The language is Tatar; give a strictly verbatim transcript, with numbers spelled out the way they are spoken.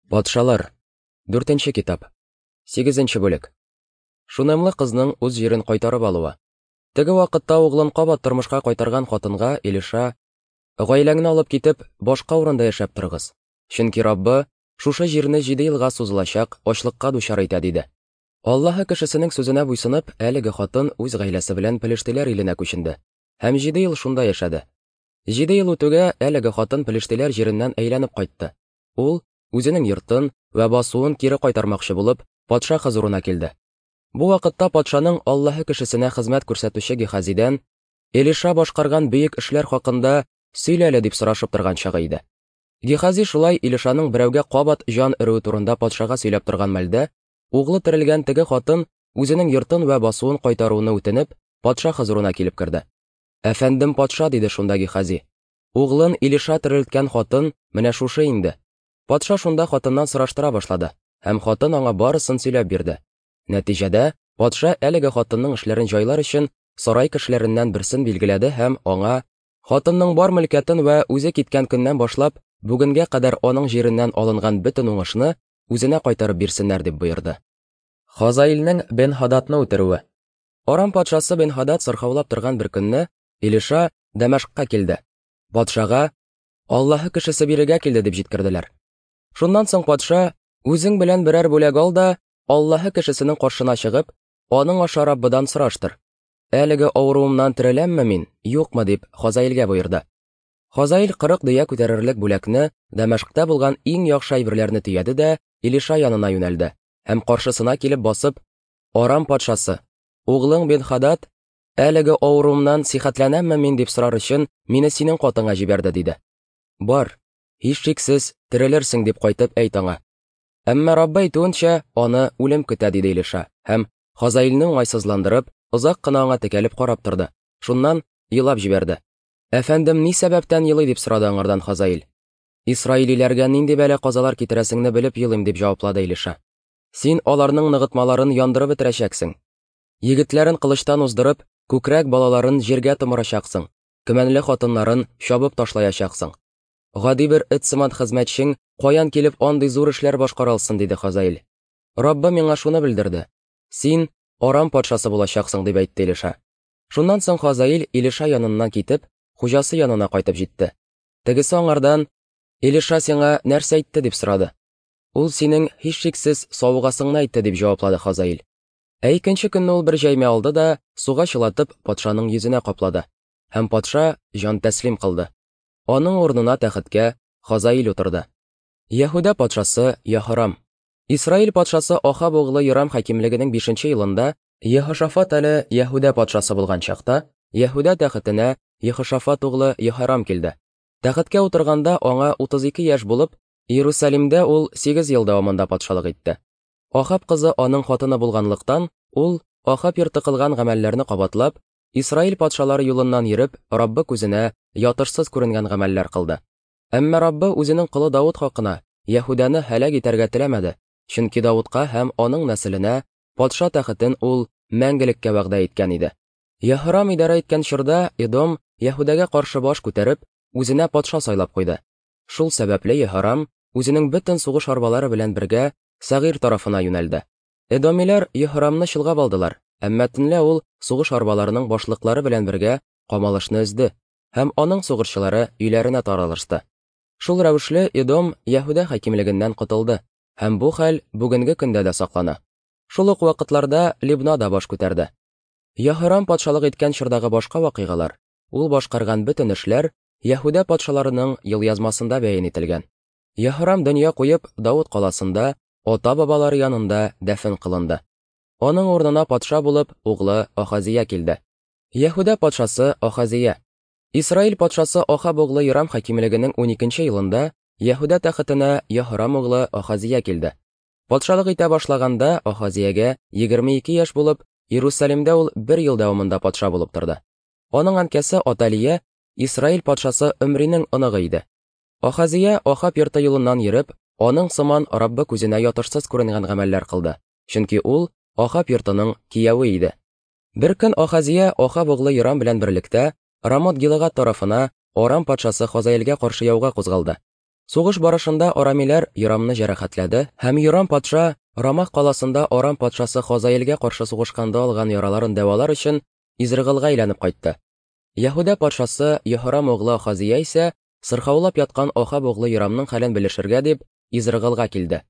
Патшалар. Дүртенче китап. Сигезенче бүлек. Шунемлы кызның үз җирен кайтарып алуы. Теге вакытта углын кабат тормышка кайтарган хатынга Илиша: "Гаиләңне алып китеп, башка урында яшәп торыгыз. Чөнки Раббы шушы җирне җиде елга сузылачак ачлыкка дучар итә", диде. Аллаһы кешесенең сүзенә буйсынып, әлеге хатын үз гаиләсе белән Пелештиләр иленә күченде һәм җиде ел шунда яшәде. Җиде ел үтүгә әлеге хатын Пелештиләр җиреннән әйләнеп кайтты. Ул үзенең йортын вә басуын кире кайтармакчы булып, патша хозурына килде. Бу вакытта патшаның Аллаһы кешесенә хезмәт күрсәтүче Гехазидән Илиша башкарган бөек эшләр хакында сөйлә әле дип сорашып торган чагы иде. Гехази шулай Илишаның берәүгә кабат җан өрүе турында патшага сөйләп торган мәлдә, углы терелгән теге хатын үзенең йортын вә басуын кайтаруны үтенеп, патша хозурына килеп керде. "Әфәндем патша", диде шунда Гехази. "Углын Илиша терелткән хатын менә шушы инде." Патша шунда хатыннан сораштыра башлады, һәм хатын аңа барысын сөйләп бирде. Нәтиҗәдә, патша әлеге хатынның эшләрен җайлар өчен сарай кешеләреннән берсен билгеләде һәм аңа хатынның бар мөлкәтен вә үзе киткән көннән башлап бүгенгә кадәр аның җиреннән алынган бөтен уңышны үзенә кайтарып бирсеннәр дип боерды. Хазаилнең Бен-Хададны үтерүе. Арам патшасы Бен-Хадад сырхаулап торган бер көнне Илиша Дәмәшкка килде. Патшага Аллаһы кешесе бирегә килде дип җиткерделәр. Шуннан соң патша: "Үзең белән берәр бүләк ал да, Аллаһы кешесенең каршына чыгып, аның аша Раббыдан сораштыр. Әлеге авыруымнан тереләмме мин, юкмы?" дип Хазаилгә боерды. Хазаил кырык дөя күтәрерлек бүләкне, Дәмәшктә булган иң яхшы әйберләрне төяде дә Илиша янына юнәлде һәм каршысына килеп басып: "Арам патшасы, углың Бен-Хадад әлеге авыруымнан сихәтләнәмме мин дип сорар өчен мине синең катыңа җибәрде", диде. "Бар, һичшиксез терелерсең дип кайтып әйт аңа. Әмма Раббы әйтүенчә, аны үлем көтә", диде Илиша һәм Хазаилне уңайсызландырып, озак кына аңа текәлеп карап торды. Шуннан елап җибәрде. "Әфәндем ни сәбәптән елый?" дип сорады аңардан Хазаил. "Исраилиләргә нинди бәла-казалар китерәсеңне белеп елыйм", дип җаваплады Илиша. "Син аларның ныгытмаларын яндырып бетерәчәксең. Егетләрен кылычтан уздырып, күкрәк балаларын җиргә томырачаксың, көмәнле хатыннарын чабып ташлаячаксың. Гади бер эт сыман хезмәтчең каян килеп андый зур эшләр башкара алсын?" диде Хазаил. "Раббы миңа шуны белдерде: син Арам патшасы булачаксың", дип әйтте Илиша. Шуннан соң Хазаил Илиша яныннан китеп, хуҗасы янына кайтып җитте. Тегесе аңардан: "Илиша сиңа нәрсә әйтте?" дип сорады. "Ул синең һичшиксез савыгасыңны әйтте", дип җаваплады Хазаил. Ә икенче көнне ул бер җәймә алды да суга чылатып патшаның йөзенә каплады, һәм патша җан тәслим кылды. Аның урынына тәхеткә Хазаил утырды. Яһүдә патшасы Яһорам. Исраил патшасы Ахаб углы Йорам хакимлегенең бишенче елында Ехошафат әле Яһүдә патшасы булган чакта Яһүдә тәхетенә Ехошафат углы Яһорам килде. Тәхеткә утырганда аңа утыз ике яшь булып, Иерусалимдә ул сигез ел дәвамында патшалык итте. Ахаб кызы аның хатыны булганлыктан, ул Ахаб йорты кылган гамәлләрне кабатлап, Исраил патшалары юлыннан йөреп, Раббы күзенә ятышсыз күренгән гамәлләр кылды. Әмма Раббы үзенең колы Давыт хакына Яһүдәне һәлак итәргә теләмәде, чөнки Давытка һәм аның нәселенә патша тәхетен ул мәңгелеккә вәгъдә иткән иде. Яһорам идарә иткән чорда Эдом Яһүдәгә каршы баш күтәреп, үзенә патша сайлап куйды. Шул сәбәпле Яһорам үзенең бөтен сугыш арбалары белән бергә Сәгыйр тарафына юнәлде. Эдомиләр Яһорамны чолгап алдылар, әмма төнлә ул сугыш арбаларының башлыклары белән бергә камалышны өзде һәм аның сугышчылары өйләренә таралышты. Шул рәвешле Эдом Яһүдә хакимлегеннән котылды, һәм бу хәл бүгенге көндә дә саклана. Шул ук вакытларда Либна да баш күтәрде. Яһорам патшалык иткән чордагы башка вакыйгалар, ул башкарган бөтен эшләр Яһүдә патшаларының елъязмасында бәян ителгән. Яһорам дөнья куеп, Давыт каласында ата-бабалары янында дәфен кылынды. Аның урынына патша булып углы Ахазия килде. Яһүдә патшасы Ахазия. Исраил патшасы Ахаб углы Йорам хакимлегенең уникенче елында Яһүдә тәхетенә Яһорам углы Ахазия килде. Патшалык итә башлаганда Ахазиягә егерме ике яшь булып, Иерусалимдә ул бер ел дәвамында патша булып торды. Аның әнкәсе Аталия Исраил патшасы Өмринең оныгы иде. Ахазия Ахаб йорты юлыннан йөреп, аның сыман Раббы күзенә ятышсыз күренгән гамәлләр кылды, чөнки ул Ахаб йортының кияве иде. Бер көн Ахазия Ахаб углы Йорам белән берлектә Рамот Гилгад тарафына Арам патшасы Хазаилгә каршы яуга кузгалды. Сугыш барышында арамиләр Йорамны җәрәхәтләде һәм Йорам патша Рамах каласында Арам патшасы Хазаилгә каршы сугышканда алган яраларын дәвалар өчен Изрыгылга әйләнеп кайтты. Яһүдә патшасы Йоһорам углы Ахазия исә сырхаулап яткан Ахаб углы Йорамның хәлен белешергә дип Изрыгылга килде.